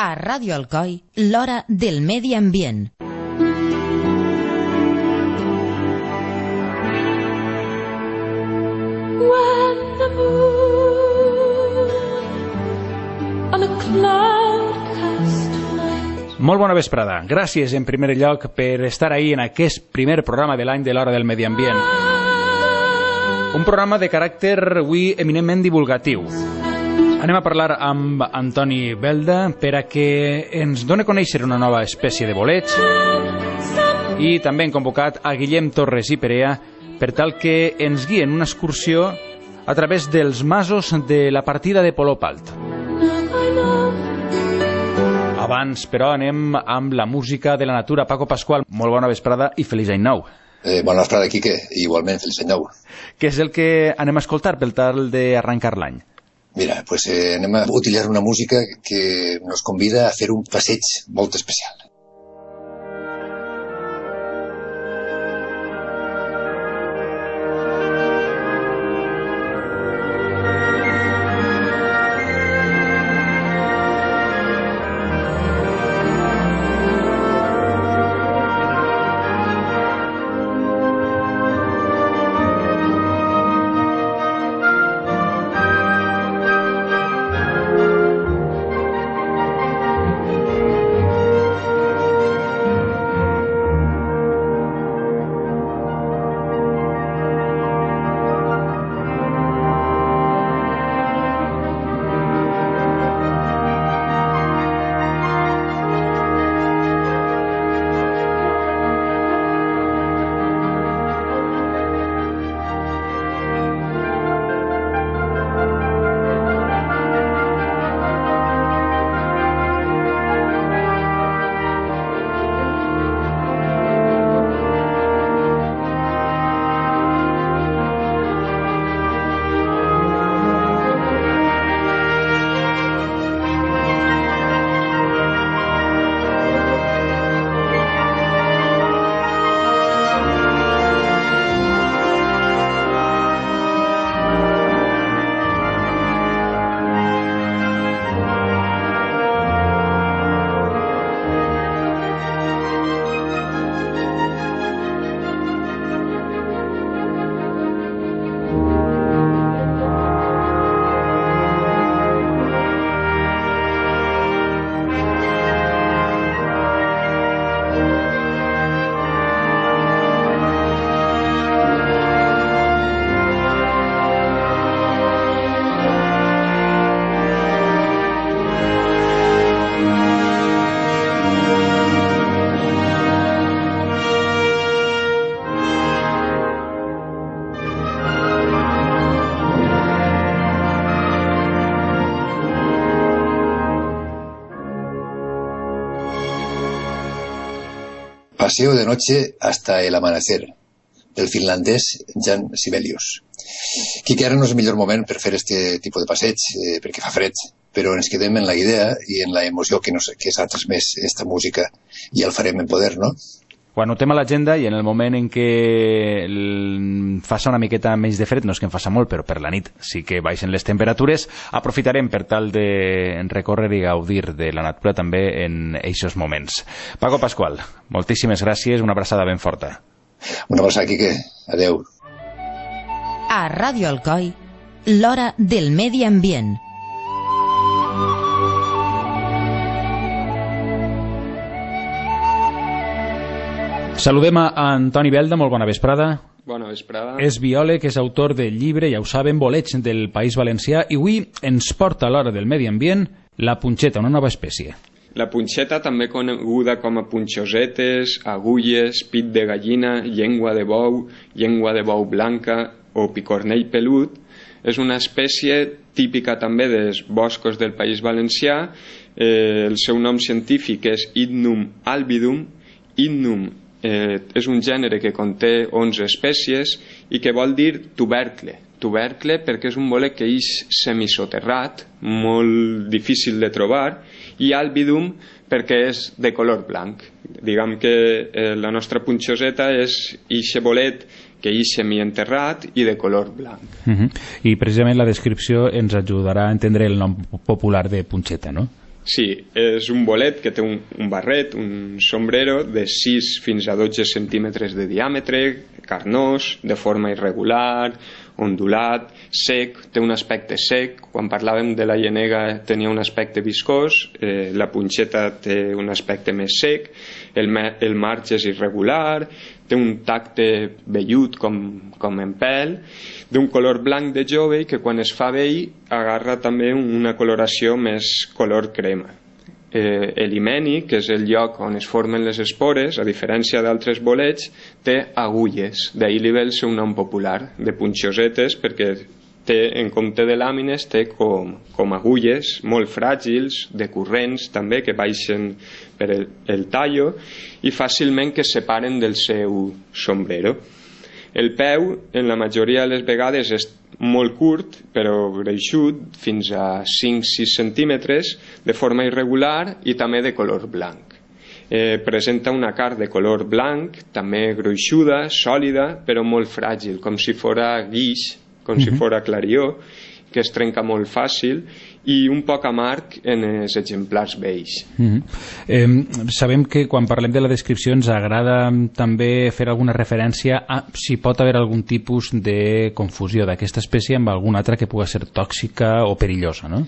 A Ràdio Alcoi, l'hora del medi ambient. Molt bona vesprada. Gràcies, en primer lloc, per estar ahí en aquest primer programa de l'any de l'Hora del Medi Ambient. Un programa de caràcter, avui, eminentment divulgatiu. Anem a parlar amb Antoni Belda per a que ens doni a conèixer una nova espècie de boleig, i també hem convocat a Guillem Torres i Perea per tal que ens guien una excursió a través dels masos de la partida de Polop Alt. Abans, però, anem amb la música de la natura. Paco Pascual, molt bona vesprada i feliç any nou. Bona vesprada, Quique, i igualment feliç any nou. Què és el que anem a escoltar per tal d'arrencar l'any? Mira, pues anem a utilitzar una música que nos convida a fer un passeig molt especial. Paseo de noche hasta el amanecer, del finlandès Jan Sibelius. Quique, ara no és el millor moment per fer este tipus de passeig, perquè fa fred, però ens quedem en la idea i en la emoció que s'ha transmès esta música, i el farem en poder, no? Ho anotem a l'agenda, i en el moment en què faça una miqueta menys de fred, no és que en faça molt, però per la nit sí que baixen les temperatures, aprofitarem per tal de recórrer i gaudir de la natura també en eixos moments. Paco Pascual, moltíssimes gràcies, una abraçada ben forta. Una abraçada, Quique. Adeu. A Ràdio Alcoi, l'hora del medi ambient. Saludem a Antoni Belda, molt bona vesprada. Bona vesprada. És biòleg, és autor del llibre, ja ho saben, Boleig del País Valencià, i avui ens porta a l'hora del medi ambient la punxeta, una nova espècie. La punxeta, també coneguda com a punxosetes, agulles, pit de gallina, llengua de bou blanca o picornell pelut, és una espècie típica també dels boscos del País Valencià. El seu nom científic és Idnum albidum. Idnum és un gènere que conté 11 espècies i que vol dir tubercle. Tubercle perquè és un bolet que és semisoterrat, molt difícil de trobar, i albidum perquè és de color blanc. Diguem que la nostra punxoseta és ixe bolet que és semienterrat i de color blanc. I precisament la descripció ens ajudarà a entendre el nom popular de punxeta, no? Sí, és un bolet que té un barret, un sombrero de 6 fins a 12 centímetres de diàmetre, carnós, de forma irregular, ondulat, sec, té un aspecte sec. Quan parlàvem de la llenega tenia un aspecte viscós, la punxeta té un aspecte més sec, el marge és irregular, té un tacte vellut com en pèl, d'un color blanc de jove i que quan es fa vell agarra també una coloració més color crema. L'himeni, que és el lloc on es formen les espores, a diferència d'altres bolets, té agulles, d'ahir li ve el seu nom popular, de punxosetes, perquè té, en compte de làmines, té com agulles molt fràgils, decurrents també, que baixen per el tallo i fàcilment que es separen del seu sombrero. El peu, en la majoria de les vegades, és molt curt, però greixut, fins a 5-6 centímetres, de forma irregular i també de color blanc. Presenta una carn de color blanc, també gruixuda, sòlida, però molt fràgil, com si fora guix, com si fora clarió, que es trenca molt fàcil, i un poc amarg en els exemplars vells. Sabem que quan parlem de la descripció ens agrada també fer alguna referència a si pot haver algun tipus de confusió d'aquesta espècie amb alguna altra que pugui ser tòxica o perillosa, no?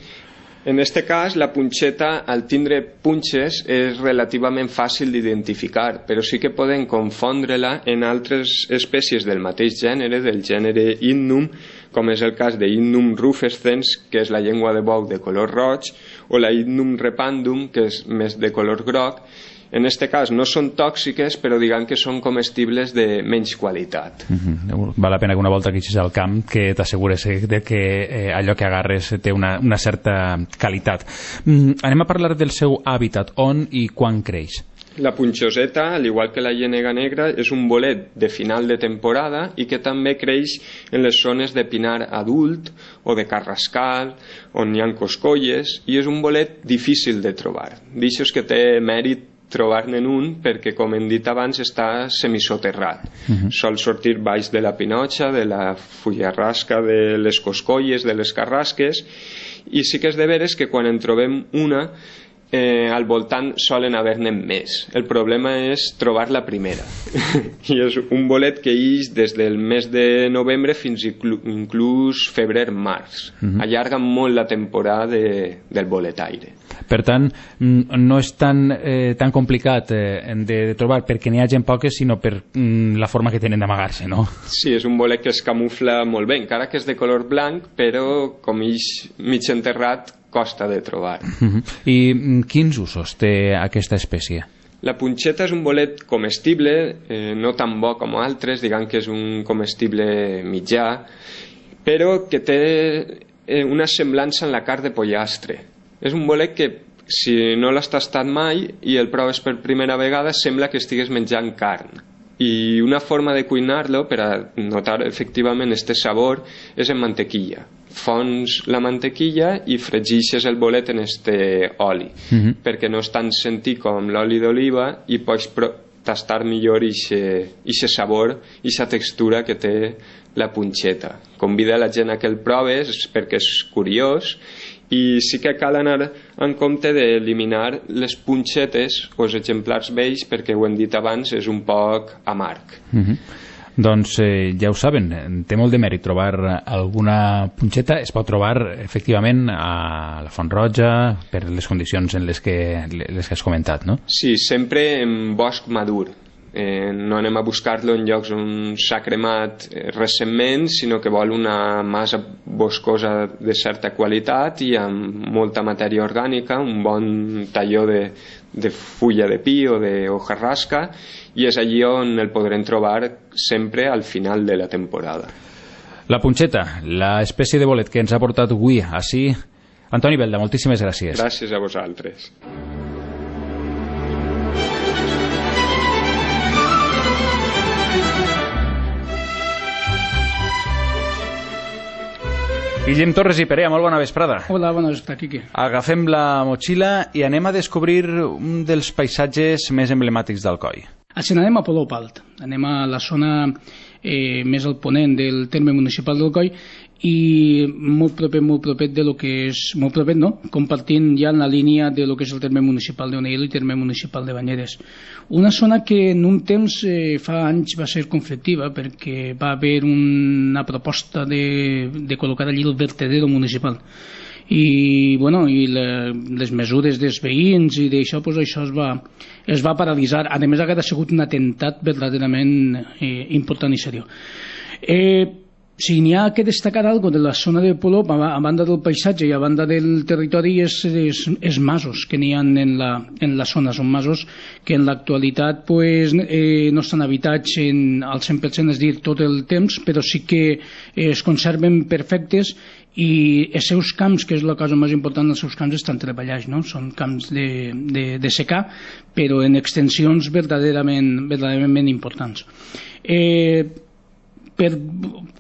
En este cas, la punxeta, al tindre punxes, és relativament fàcil d'identificar, però sí que poden confondre-la en altres espècies del mateix gènere, del gènere Hypnum, com és el cas de Hypnum rufescens, que és la llengua de bou de color roig, o la Hypnum repandum, que és més de color groc. En aquest cas no són tòxiques, però diguem que són comestibles de menys qualitat. Val la pena que una volta que eixis al camp que t'assegures de que allò que agarres té una certa qualitat. Anem a parlar del seu hàbitat, on i quan creix. La punxoseta, al igual que la llenega negra, és un bolet de final de temporada i que també creix en les zones de pinar adult o de carrascal, on hi ha coscolles, i és un bolet difícil de trobar. D'això que té mèrit trobar-ne un perquè, com hem dit abans, està semisoterrat. Sol sortir baix de la pinotxa, de la fullarrasca, de les coscolles, de les carrasques, i sí que és de veres que quan en trobem una, al voltant solen haver-ne més. El problema és trobar la primera. I és un bolet que ix des del mes de novembre fins inclús febrer-març. Allarga molt la temporada del boletaire. Per tant, no és tan complicat de trobar perquè n'hi hagi poques, sinó per la forma que tenen d'amagar-se, no? Sí, és un bolet que es camufla molt bé, encara que és de color blanc, però com ix mig enterrat, costa de trobar. I quins usos té aquesta espècie? La punxeta és un bolet comestible, no tan bo com altres, diguem que és un comestible mitjà, però que té una semblança en la carn de pollastre. És un bolet que, si no l'has tastat mai i el proves per primera vegada, sembla que estigues menjant carn. I una forma de cuinar-lo, per a notar efectivament este sabor, és en mantequilla. Fons la mantequilla i fregixes el bolet en este oli, perquè no és tan sentit com l'oli d'oliva i pots tastar millor ixe sabor, ixa textura que té la punxeta. Convida la gent a que el proves perquè és curiós, i sí que cal anar en compte d'eliminar les punxetes o els exemplars vells, perquè ho hem dit abans, és un poc amarg. Doncs ja ho saben, té molt de mèrit trobar alguna punxeta. Es pot trobar efectivament a la Font Roja per les condicions en les que has comentat, no? Sí, sempre en bosc madur. No anem a buscar-lo en llocs on s'ha cremat recentment, sinó que vol una massa boscosa de certa qualitat i amb molta matèria orgànica, un bon talló de fulla de pi o de hojarrasca, i és allí on el podrem trobar sempre al final de la temporada. La punxeta, l'espècie de bolet que ens ha portat avui així. Antoni Belda, moltíssimes gràcies. Gràcies a vosaltres. Guillem Torres i Perea, molt bona vesprada. Hola, bona vesprada, Quique. Agafem la motxilla i anem a descobrir un dels paisatges més emblemàtics d'Alcoi. Així anem a Polop Alt. Anem a la zona més al ponent del terme municipal d'Alcoi, i molt proper de lo que és, molt proper no, compartint ja en la línia de lo que és el terme municipal d'Onil i el terme municipal de Banyeres. Una zona que en un temps, fa anys, va ser conflictiva perquè va haver una proposta de col·locar allí el vertedero municipal i, bueno, i les mesures dels veïns i d'això, pues, això es va paralitzar. A més, ha sigut un atemptat verdaderament important i seriós. Si n'hi ha que destacar algo de la zona de Polop, a banda del paisatge i a banda del territori, és masos que n'hi ha en la zona. Són masos que en l'actualitat pues, no estan habitats al 100%, és dir, tot el temps, però sí que es conserven perfectes i els seus camps, que és la cosa més important, els seus camps estan treballats, no? Són camps de secà, però en extensions verdaderament importants. Per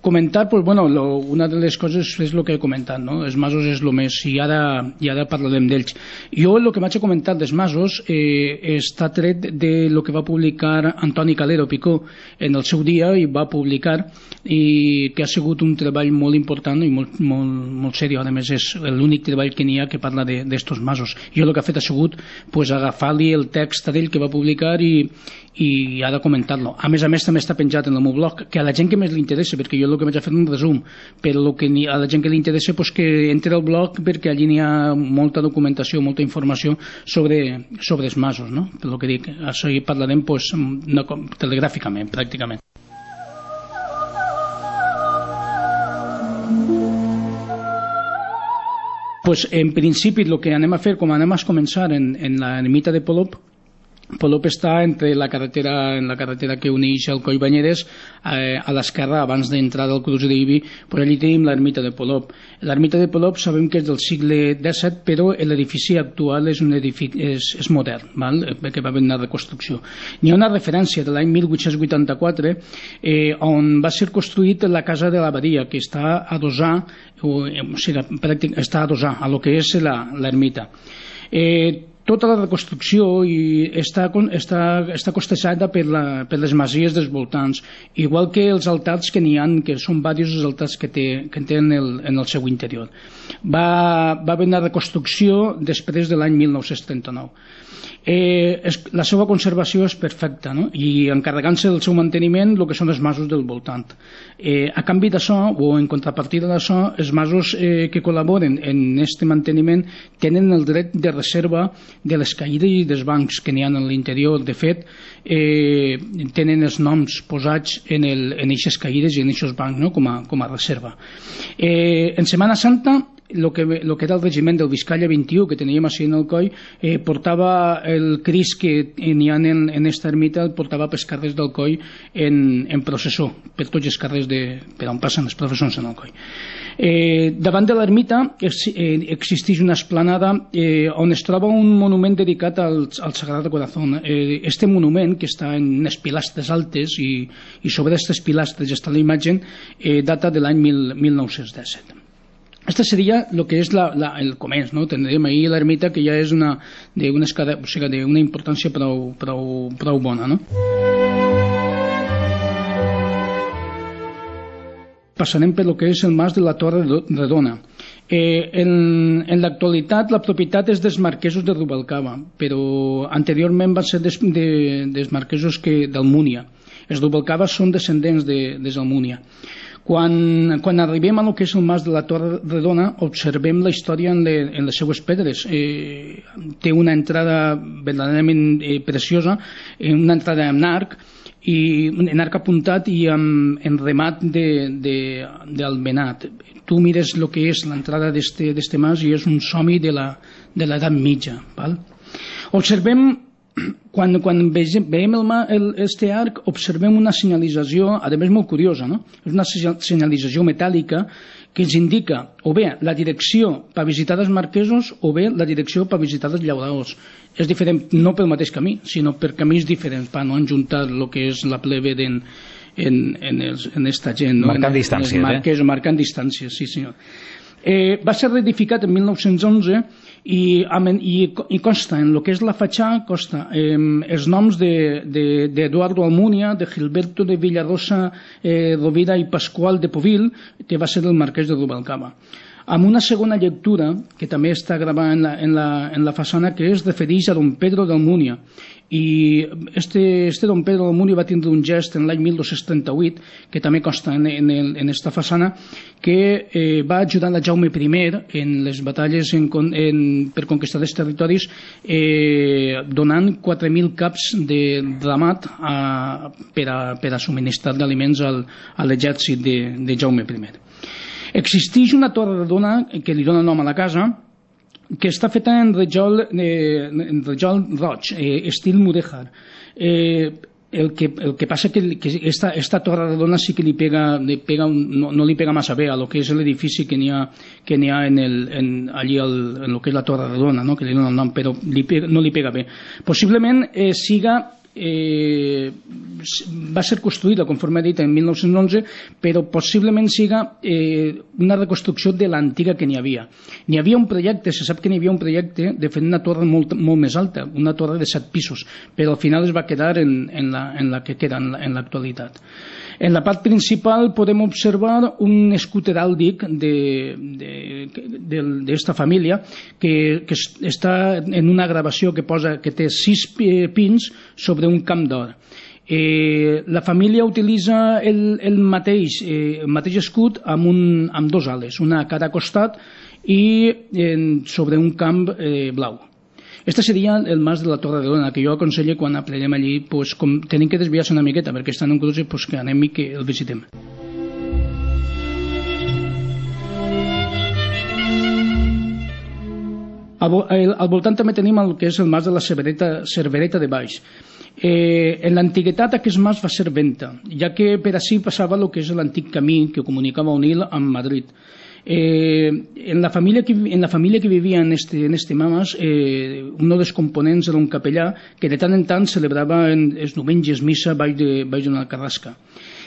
comentar, pues, bueno, una de les coses és el que he comentat, no? Els masos és el més, i ara parlarem d'ells. Jo el que vaig a comentar dels masos està tret de lo que va publicar Antoni Calero Picó en el seu dia, i va publicar, i que ha sigut un treball molt important i molt seriós. A més, és l'únic treball que n'hi ha que parla d'estos masos. Jo el que ha fet ha sigut pues, agafar-li el text d'ell que va publicar i ha de comentar-lo. A més, també està penjat en el meu blog, que a la gent que més li interessa, perquè jo el que vaig a fer un resum, però que a la gent que li interessa pues, que entre al blog, perquè allí n'hi ha molta documentació, molta informació sobre els masos, no? Per el que dic, això hi parlarem pues, telegràficament, pràcticament. Pues, en principi, el que anem a fer, com anem a començar en la ermita de Polop, Polop està entre la carretera que uneix Alcoi i Banyeres, a l'esquerra, abans d'entrar del Cruç d'Ibi, per allí tenim l'ermita de Polop. L'ermita de Polop sabem que és del segle XVII, però l'edifici actual és modern, perquè va haver una reconstrucció. N'hi ha una referència de l'any 1884 on va ser construït la casa de l'abadia, que està adossada a lo que és l'ermita. Tota la reconstrucció està costejada per les masies dels voltants, igual que els altars que n'hi ha, que són diversos altars que tenen en el seu interior. Va haver una reconstrucció després de l'any 1939. La seva conservació és perfecta, no? I encarregant-se del seu manteniment el que són els masos del voltant. A canvi d'això, o en contrapartida d'això, els masos que col·laboren en aquest manteniment tenen el dret de reserva de les caïdes i dels bancs que n'hi ha en l'interior. De fet, tenen els noms posats en aquestes caïdes i en aquests bancs, no? com a reserva. En Setmana Santa, el que era el regiment del Vizcaya 21 que teníem així en Alcoi, portava el Crist que n'hi ha en aquesta ermita, el portava pels carrers d'Alcoi en processó, per tots els carrers per on passen les processons en Alcoi. Davant de l'ermita existeix una esplanada on es troba un monument dedicat al Sagrado Corazón. Este monument, que està en unes pilastres altes i sobre aquestes pilastres està la imatge, data de l'any 1917. Este seria el que és el començ, no? Tindrem ahir l'ermita, que ja és d'una importància prou bona, no? Passarem per el que és el mas de la Torre Redona. En l'actualitat la propietat és dels marquesos de Rubalcaba, però anteriorment van ser dels marquesos d'Almúnia. Els Rubalcaba són descendents dels Almúnia. Quan arribem a lo que és el mas de la Torre Redona, observem la història en les seues pedres. Té una entrada verdaderament preciosa, una entrada en arc apuntat i en remat d'almenat. Tu mires el que és l'entrada d'este mas i és un somni de l'edat mitja. Observem, quan veiem este arc, observem una senyalització, a més molt curiosa, no? És una senyalització metàl·lica que ens indica o bé la direcció per visitar els marquesos o bé la direcció per visitar els llauradors. És diferent no pel mateix camí, sinó per camins diferents, per no enjuntar el que és la plebe en esta gent, no? Marcant distàncies, marquesos, marcant distàncies, sí senyor. Va ser reedificat en 1911 i consta en el que és la fatxada els noms d'Eduardo Almunia, de Gilberto de Villarosa Rovira i Pascual de Povil, que va ser el marquès de Rubalcaba, amb una segona lectura que també està gravada en la façana, que es refereix a don Pedro d'Almunia. I este don Pedro d'Almunia va tindre un gest en l'any 1238, que també consta en esta façana, que va ajudar a Jaume I en les batalles per conquistar els territoris, donant 4.000 caps de ramat per a subministrar d'aliments a l'exèrcit de Jaume I. Existeix una torre redona que li dona nom a la casa, que està feta en rajol roig, estil mudèjar. El que passa que esta torre redona sí que no li pega massa bé a lo que és l'edifici que n'hi ha allí en lo que és la torre redona, no? Que li dona el nom, però no li pega bé. Possiblement va ser construïda, conforme he dit, en 1911, però possiblement siga una reconstrucció de l'antiga que n'hi havia. N'hi havia un projecte, se sap que n'hi havia un projecte de fer una torre molt més alta, una torre de 7 pisos, però al final es va quedar en la que queda en l'actualitat. En la part principal podem observar un escut heràldic d'esta família que està en una gravació que posa que té 6 pins sobre un camp d'or. La família utilitza el mateix escut amb 2 ales, una a cada costat i sobre un camp blau. Este seria el mas de la Torre de Dona, que jo aconsello quan aprenem allí, pues, com tenim que desviar-se una miqueta perquè està en un cruce, pues, que anem i que el visitem. Al voltant també tenim el que és el mas de la Cervereta de Baix. En l'antiguitat aquest mas va ser venta, ja que per ací passava el que és l'antic camí que comunicava Onil amb Madrid. En la família que vivia en este mas, un dels components era un capellà que de tant en tant celebrava els diumenges missa baix d'una carrasca.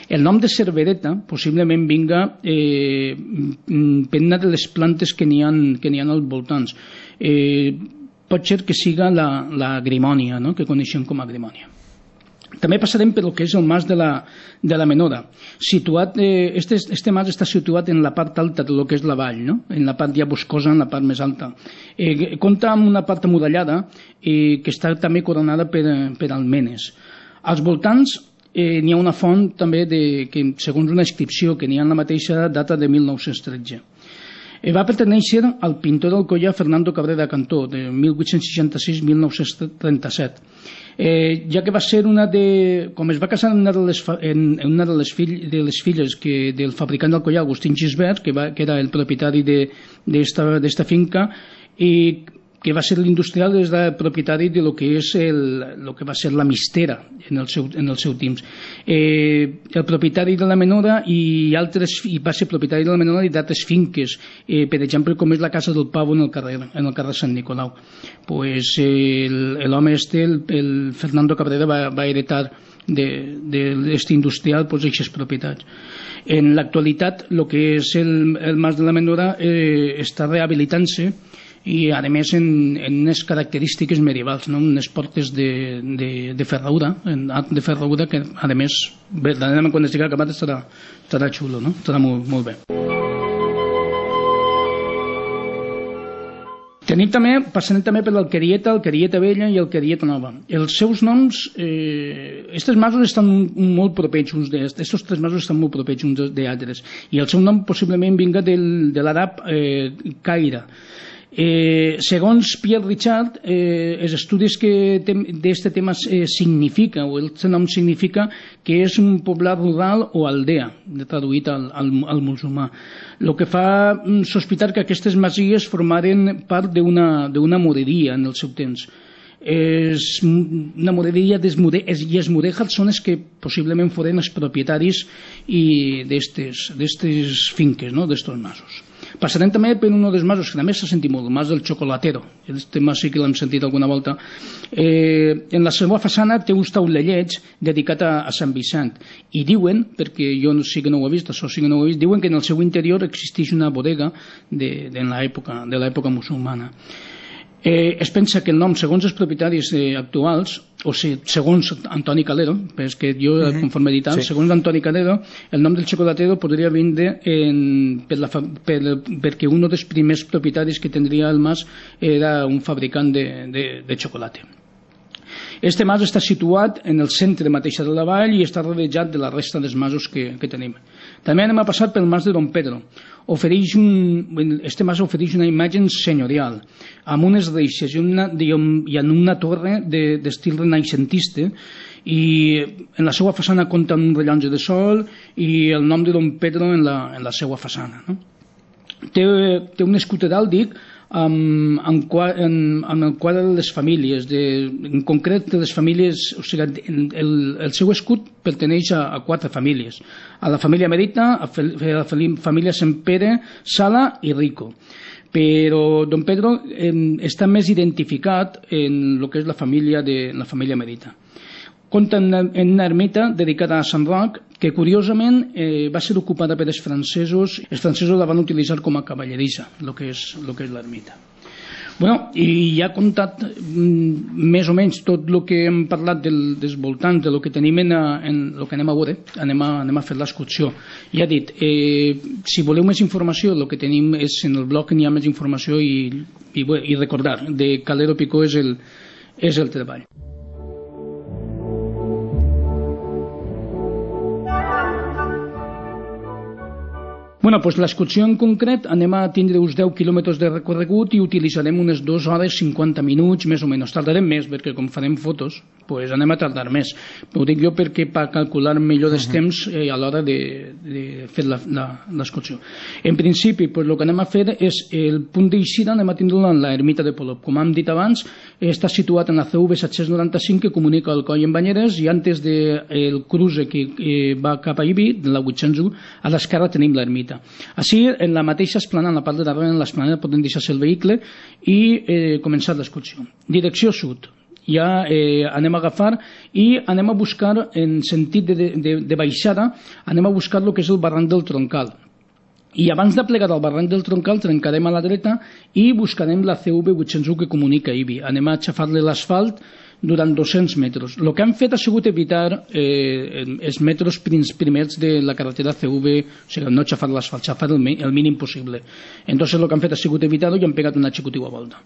El nom de Cervereta possiblement vinga per una de les plantes que n'hi ha als voltants. Pot ser que siga la grimònia, no? Que coneixem com a grimònia. També passarem per el que és el mas de la Menora. Este mas està situat en la part alta del que és la vall, no? En la part ja boscosa, en la part més alta. Compta amb una part amurallada que està també coronada per almenes. Als voltants n'hi ha una font també que, segons una inscripció que n'hi ha en la mateixa data de 1913. Va pertenèixer al pintor d'Alcoià Fernando Cabrera Cantó, de 1866-1937, ja que va ser com es va casar en una de les filles del fabricant d'Alcoià, Agustín Gisbert, que era el propietari d'esta finca, i que va ser l'industrial, és el propietari de lo que va ser la mistera en el seu temps. El propietari de la Menora i va ser propietari de la Menora i d'altres finques, per exemple, com és la Casa del Pavo en el carrer Sant Nicolau. Pues l'home el Fernando Cabrera va heretar d'aquest industrial aquestes propietats. En l'actualitat, el que és el mas de la Menora està rehabilitant-se i a més en unes característiques medievals, no? Unes portes de ferradura, de ferradura que a més verdaderament quan estigui acabat estarà xulo, no? Estarà molt bé. Passarem també per l'Alquerieta, Alquerieta Vella i Alquerieta Nova. Els seus noms, aquests masos estan molt propers uns d'altres, aquests 3 masos estan molt propers uns d'altres, i el seu nom possiblement vinga de l'àrab Caire. Segons Pierre Richard, els estudis d'aquest tema significa, o el nom significa que és un poblat rural o aldea, traduït al musulmà, el que fa sospitar que aquestes masies formaren part d'una moreria en el seu temps. Una moreria i els mudèjars són els que possiblement foren els propietaris d'aquestes finques, d'aquests masos. Passarem també per un dels masos que també s'ha sentit molt, el mas del Chocolatero. Aquest mas sí que l'hem sentit alguna volta. En la seva façana té un taulelleig dedicat a Sant Vicent i diuen, perquè jo sí que no ho he vist, això sí que no ho he vist, diuen que en el seu interior existeix una bodega de l'època musulmana. Es pensa que el nom, segons els propietaris actuals, o sigui, segons Antoni Calero, és que jo conforme he dit, segons Antoni Calero, el nom del xocolatero podria vindre perquè un dels primers propietaris que tindria el mas era un fabricant de xocolata. Este mas està situat en el centre mateix de la vall i està rodejat de la resta dels masos que tenim. També anem a passar pel mas de Don Pedro. Este mas ofereix una imatge senyorial, amb unes reixes i en una torre d'estil renaixentista, i en la seva façana compta amb un rellotge de sol i el nom de Don Pedro en la seva façana. Té un escut heràldic amb el quadre de les famílies, en concret de les famílies, o sigui, el seu escut perteneix a 4 famílies, a la família Merita, a la família Sempere, Sala i Rico. Però Don Pedro està més identificat en el que és la família Merita. Compta en una ermita dedicada a Sant Roc, que curiosament va ser ocupada per els francesos. Els francesos la van utilitzar com a cavallerissa, el que és l'ermita. Bueno, i ja he contat més o menys tot el que hem parlat dels voltants, del que tenim en el que anem a veure, anem a fer l'excursió. Ja he dit, si voleu més informació, el que tenim és en el blog, n'hi ha més informació i recordar, de Calero Picó és el treball. Bueno, doncs l'excursió en concret anem a tindre uns 10 quilòmetres de recorregut i utilitzarem unes 2 hores 50 minuts, més o menys. Tardarem més, perquè com farem fotos, doncs anem a tardar més. Ho dic jo perquè per calcular millor els temps a l'hora de fer l'excursió. En principi, el que anem a fer és el punt d'eixida, anem a tindre en l'ermita de Polop. Com hem dit abans, està situat en la CV 795 que comunica el Coll amb Banyeres, i antes del cruce que va cap a Ibi, de la 801, a l'esquerra tenim l'ermita. Així, en la mateixa esplanada, en la part de darrere, en l'esplanada podem deixar-se el vehicle i començar l'excursió. Direcció sud. Ja anem a agafar i anem a buscar, en sentit de baixada, anem a buscar el que és el barranc del Troncal. I abans de plegar al barranc del Troncal trencarem a la dreta i buscarem la CV 801 que comunica Ibi. Anem a aixafar-li l'asfalt durant 200 metres. El que han fet ha sigut evitar els metres primers de la carretera CV, o sigui, no aixafar l'asfalt, aixafar el mínim possible. Entonces el que han fet ha sigut evitar-ho i han pegat una xicotiva volta.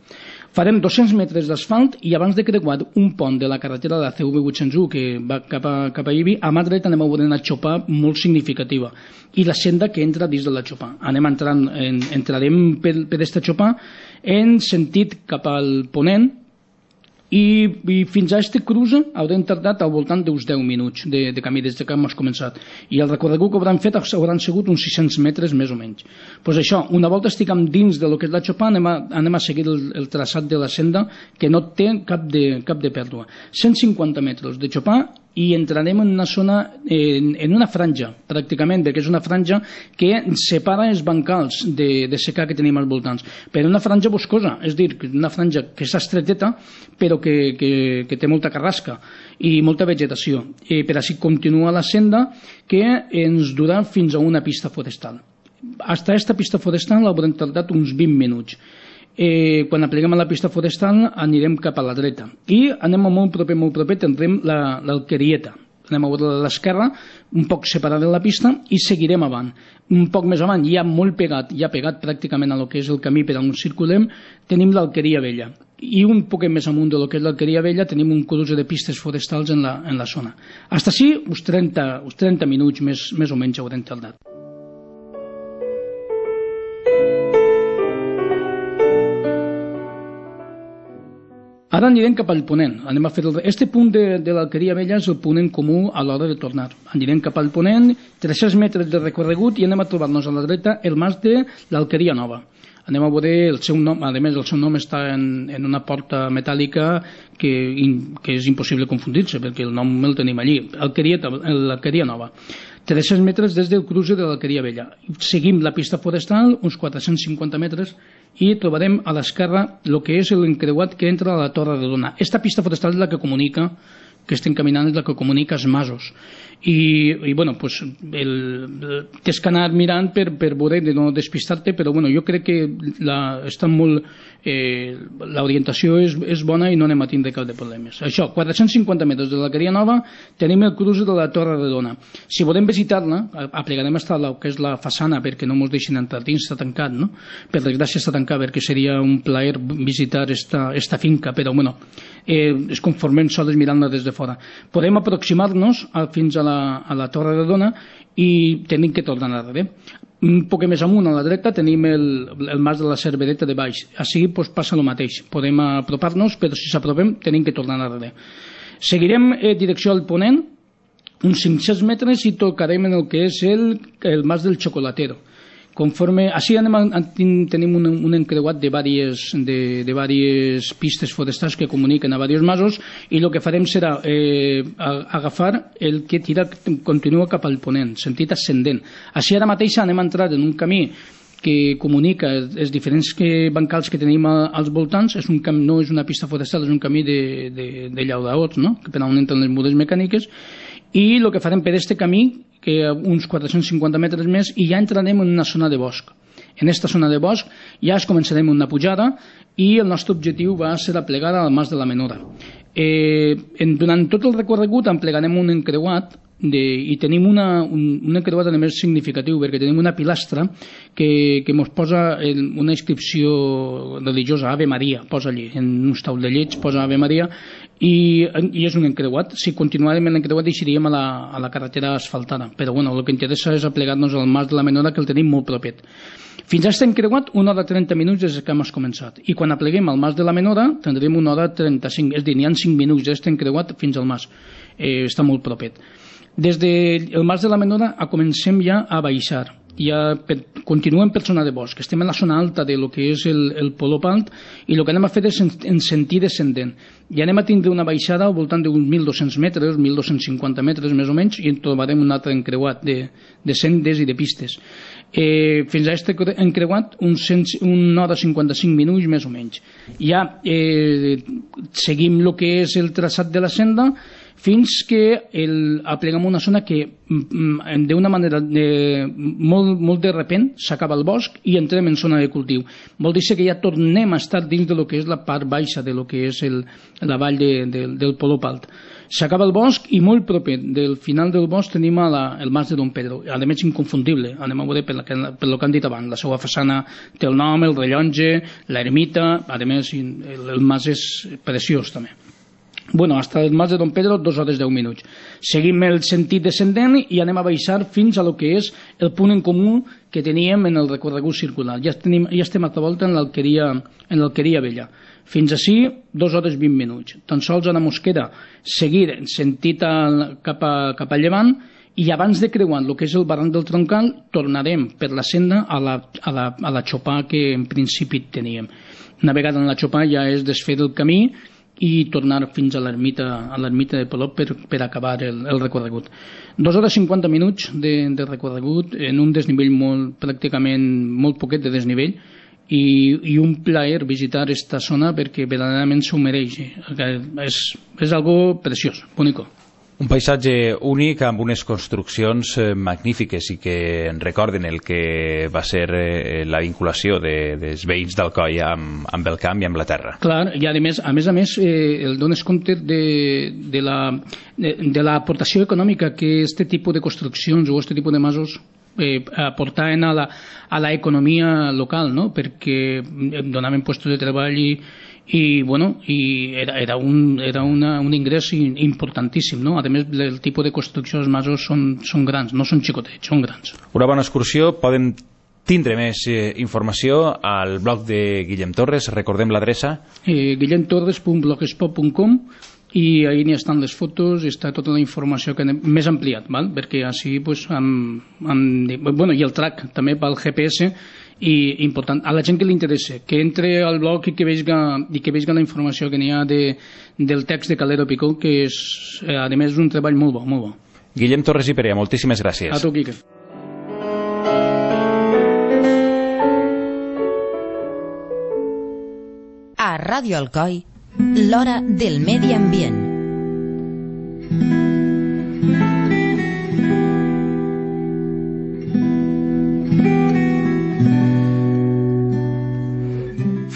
Farem 200 metres d'asfalt i abans de creuar un pont de la carretera de la CV 801 que va cap a Ibi, a mà dreta anem a veure una xopa molt significativa i la senda que entra dins de la xopa. Entrarem per aquesta xopa en sentit cap al ponent i fins a este cruce haurem tardat al voltant d'uns 10 minuts de camí des que hem començat, i el recorregut que hauran fet hauran sigut uns 600 metres més o menys. Doncs això, una volta estiguem dins de lo que és la xopa, anem a seguir el traçat de la senda, que no té cap de pèrdua. 150 metres de xopa i entrarem en una zona, en una franja, pràcticament, perquè és una franja que separa els bancals de secà que tenim als voltants, però una franja boscosa, és a dir, una franja que és estreteta, però que té molta carrasca i molta vegetació. Per així continua la senda, que ens durà fins a una pista forestal. Hasta esta pista forestal haurem tardat uns 20 minuts. Quan apleguem a la pista forestal anirem cap a la dreta i anem molt proper tindrem l'Alquerieta. Anem a veure a l'esquerra, un poc separada de la pista, i seguirem avant. Un poc més avant, ja molt pegat, ja pegat pràcticament a lo que és el camí per on circulem, tenim l'Alqueria Vella. I un poc més amunt de lo que és l'Alqueria Vella tenim un cruce de pistes forestals en la zona. Hasta així, uns 30 minuts més o menys haurem tardat. Ara anirem cap al ponent. Anem a fer este punt de l'Alqueria Vella és el ponent comú a l'hora de tornar. Anirem cap al ponent, 300 metres de recorregut, i anem a trobar-nos a la dreta el mas de l'Alqueria Nova. Anem a veure el seu nom, a més el seu nom està en una porta metàl·lica que és impossible confundir-se, perquè el nom el tenim allí, l'Alqueria Nova. 300 metres des del cruce de l'Alqueria Vella. Seguim la pista forestal, uns 450 metres, i trobarem a l'esquerra el que és l'encreuat que entra a la Torre Redona. Esta pista forestal és la que comunica que estem caminant és la que comunica els masos. I bueno, pues, tens que anar mirant per veure de no despistar-te, però bueno, jo crec que està molt, l'orientació és bona i no anem a tindre cap de problemes. Això, 450 metres de l'Alqueria Nova tenim el cruce de la Torre Redona. Si volem visitar-la, aplegarem fins a la que és la façana perquè no ens deixin entrar dins, està tancat, no? Per desgràcia està tancat perquè seria un plaer visitar esta finca, però bueno, es conformem sols mirant-la des de fora. Podem aproximar-nos fins a la Torre Redona i tenim que tornar darrere. Un poc més amunt a la dreta tenim el mas de la Cervereta de baix. Així pues, passa el mateix, podem apropar-nos, però si s'apropem tenim que tornar darrere. Seguirem direcció al ponent uns 500 metres i tocarem en el que és el mas del Chocolatero. Així tenim un encreuat de diverses pistes forestals que comuniquen a diversos masos i el que farem serà agafar el que continua cap al ponent, sentit ascendent. Així ara mateix anem a entrar en un camí que comunica els diferents bancals que tenim als voltants. No és una pista forestal, és un camí de llaudaots, no? Per on entren les mudes mecàniques, i el que farem per aquest camí que uns 450 metres més i ja entrarem en una zona de bosc. En aquesta zona de bosc ja començarem una pujada i el nostre objectiu va ser aplegar al Mas de la Menora. Durant tot el recorregut emplegarem un encreuat i tenim un encreuat a més significatiu perquè tenim una pilastra que ens posa una inscripció religiosa, Ave Maria, posa allí, en uns taulellets posa Ave Maria i és un encreuat. Si continuarem l'encreuat deixaríem a la carretera asfaltada, però bueno, el que interessa és aplegar-nos al Mas de la Menora, que el tenim molt propet. Fins a aquest encreuat 1 hora 30 minuts des que hem començat, i quan apleguem al Mas de la Menora tindrem 1 hora 35, és a dir, n'hi ha 5 minuts d'aquest encreuat fins al Mas, està molt propet. Des del Mas de la Menora comencem ja a baixar, continuem per zona de bosc, estem en la zona alta de lo que és el Polop Alt i el que anem a fer és en sentit descendent, i anem a tindre una baixada al voltant d'uns 1.200 metres, 1.250 metres més o menys, i en trobarem un altre encreuat de sendes i de pistes. Fins a aquest encreuat 1 hora 55 minuts més o menys. Ja seguim el que és el traçat de la senda fins que apleguem una zona que d'una manera molt de repent s'acaba el bosc i entrem en zona de cultiu. Vol dir que ja tornem a estar dins de lo que és la part baixa de lo que és la vall del Polop Alt. S'acaba el bosc i molt proper del final del bosc tenim el Mas de Don Pedro, a més inconfundible, anem a veure per el que han dit abans, la seva façana té el nom, el rellotge, l'ermita, a més el mas és preciós també. Bueno, hasta el Mas de Don Pedro 2 hores 10 minuts. Seguim el sentit descendent i anem a baixar fins a lo que és el punt en comú que teníem en el recorregut circular. Ja estem altra volta en l'Alqueria Vella. Fins ací 2 hores 20 minuts. Tan sols a la Mosquera seguir sentit cap a llevant i abans de creuar el que és el barranc del Troncal tornarem per la senda a la Xopà que en principi teníem. Una vegada en la Xopà ja és desfer el camí i tornar fins a l'ermita de Polop per acabar el recorregut. 2 hores 50 minuts de recorregut en un desnivell pràcticament molt poquet de desnivell i un plaer visitar esta zona perquè verdaderament s'ho mereix. És algo preciós, bonico. Un paisatge únic amb unes construccions magnífiques i que en recorden el que va ser la vinculació dels veïns d'Alcoi amb el camp i amb la terra. Clar, i a més el dones compte de l'aportació econòmica que aquest tipus de construccions o aquest tipus de masos aportaven a l'economia local, no? Perquè donaven llocs de treball i era un ingrés importantíssim, no? A més, el tipus de construcció dels masos són grans, no són xicotets, són grans. Una bona excursió. Podem tindre més informació al blog de Guillem Torres. Recordem l'adreça. guillemtorres.blogspot.com, i ahí n'hi estan les fotos i està tota la informació que més ampliat, val? Perquè així i el track també pel GPS, i important, a la gent que li interessa que entre al blog i que vegi la informació que n'hi ha del text de Calero Picó, que és a més un treball molt bo, molt bo. Guillem Torres i Perea, moltíssimes gràcies. A tu, Quique. A Ràdio Alcoi, l'hora del medi ambient.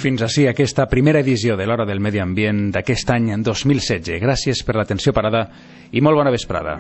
fins ací aquesta primera edició de l'Hora del Medi Ambient d'aquest any 2016. Gràcies per l'atenció parada i molt bona vesprada.